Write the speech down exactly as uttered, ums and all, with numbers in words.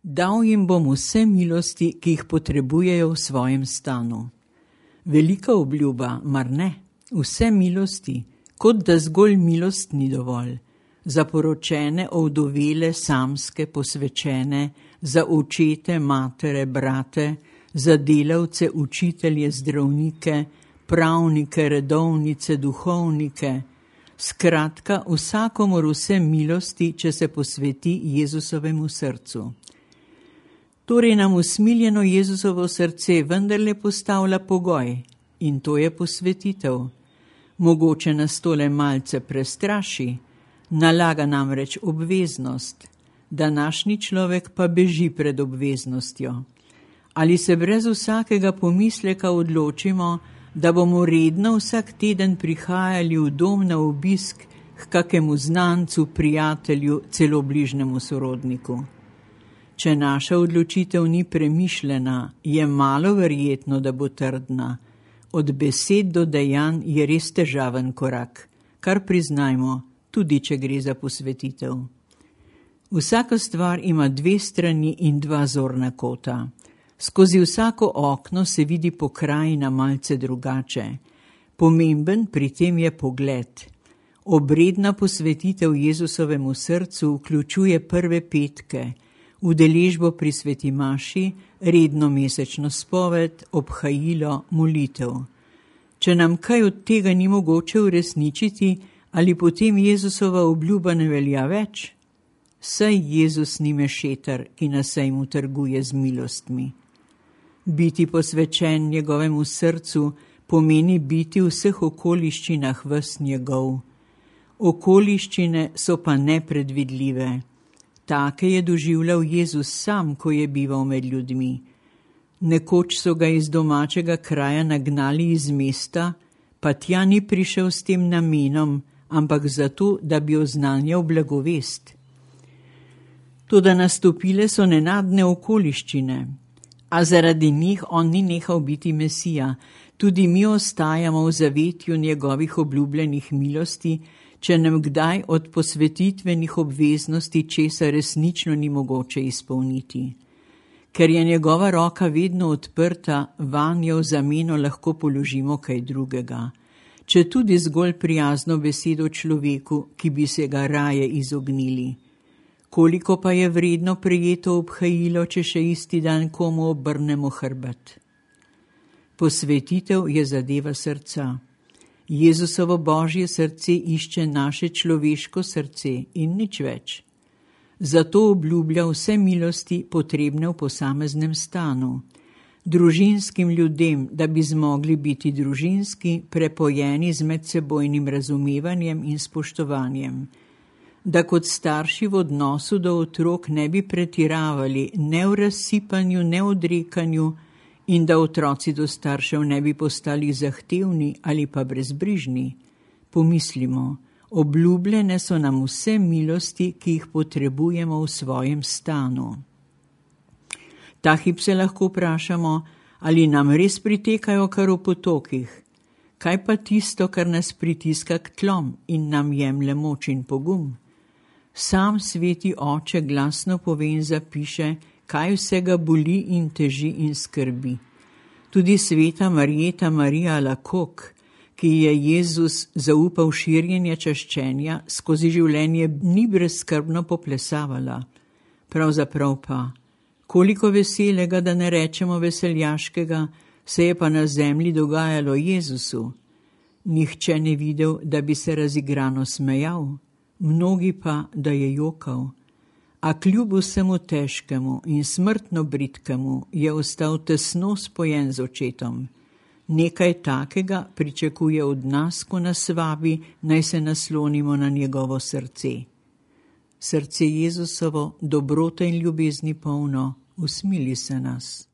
Dal jim bom vse milosti, ki jih potrebujejo v svojem stanu. Velika obljuba, mar ne? Vse milosti, kot da zgolj milost ni dovolj. Za poročene, ovdovele, samske, posvečene, za očete, matere, brate, za delavce, učitelje, zdravnike, pravnike, redovnice, duhovnike. Skratka, vsakomur vse milosti, če se posveti Jezusovemu srcu. Torej nam usmiljeno Jezusovo srce vendarle postavlja pogoj, in to je posvetitev. Mogoče nas tole malce prestraši, nalaga namreč obveznost. Današnji človek pa beži pred obveznostjo. Ali se brez vsakega pomisleka odločimo, da bomo redno vsak teden prihajali v dom na obisk k kakemu znancu, prijatelju, celo bližnjemu sorodniku? Če naša odločitev ni premišljena, je malo verjetno, da bo trdna. Od besed do dejanj je res težaven korak, kar priznajmo, tudi če gre za posvetitev. Vsaka stvar ima dve strani in dva zorna kota. Skozi vsako okno se vidi pokrajina malce drugače. Pomemben pri tem je pogled. Obredna posvetitev Jezusovemu srcu vključuje prve petke, udeležbo pri sveti maši, redno mesečno spoved, obhajilo, molitev. Če nam kaj od tega ni mogoče uresničiti, ali potem Jezusova obljuba ne velja več? Saj Jezus ni mešetar, ki na sejmu trguje z milostmi. Biti posvečen njegovemu srcu pomeni biti v vseh okoliščinah ves njegov. Okoliščine so pa nepredvidljive. Take je doživljal Jezus sam, ko je bival med ljudmi. Nekoč so ga iz domačega kraja nagnali iz mesta, pa tja ni prišel s tem namenom, ampak zato, da bi oznanjal blagovest. Toda nastopile so nenadne okoliščine, a zaradi njih on ni nehal biti Mesija. Tudi mi ostajamo v zavetju njegovih obljubljenih milosti, če nam kdaj od posvetitvenih obveznosti česa resnično ni mogoče izpolniti. Ker je njegova roka vedno odprta, vanjo v zameno lahko položimo kaj drugega, če tudi zgolj prijazno besedo človeku, ki bi se ga raje izognili. Koliko pa je vredno prejeto obhajilo, če še isti dan komu obrnemo hrbet? Posvetitev je zadeva srca. Jezusovo božje srce išče naše človeško srce in nič več. Zato obljublja vse milosti potrebne v posameznem stanu. Družinskim ljudem, da bi zmogli biti družinski, prepojeni z medsebojnim razumevanjem in spoštovanjem. Da kot starši v odnosu do otrok ne bi pretiravali ne v razsipanju, ne v odrekanju in da otroci do staršev ne bi postali zahtevni ali pa brezbrižni. Pomislimo, obljubljene so nam vse milosti, ki jih potrebujemo v svojem stanu. Ta hip se lahko vprašamo, ali nam res pritekajo kar v potokih. Kaj pa tisto, kar nas pritiska k tlom in nam jemlje moč in pogum? Sam sveti oče glasno pove in zapiše, kaj vsega boli in teži in skrbi. Tudi sveta Marjeta Marija Lakok, ki je Jezus zaupal širjenje čaščenja, skozi življenje ni brezskrbno poplesavala. Pravzaprav pa, koliko veselega, da ne rečemo veseljaškega, se je pa na zemlji dogajalo Jezusu. Nihče ne videl, da bi se razigrano smejal, mnogi pa, da je jokal. A kljub vsemu težkemu in smrtno bridkemu je ostal tesno spojen z očetom. Nekaj takega pričakuje od nas, ko nas vabi, naj se naslonimo na njegovo srce. Srce Jezusovo, dobrote in ljubezni polno, usmili se nas.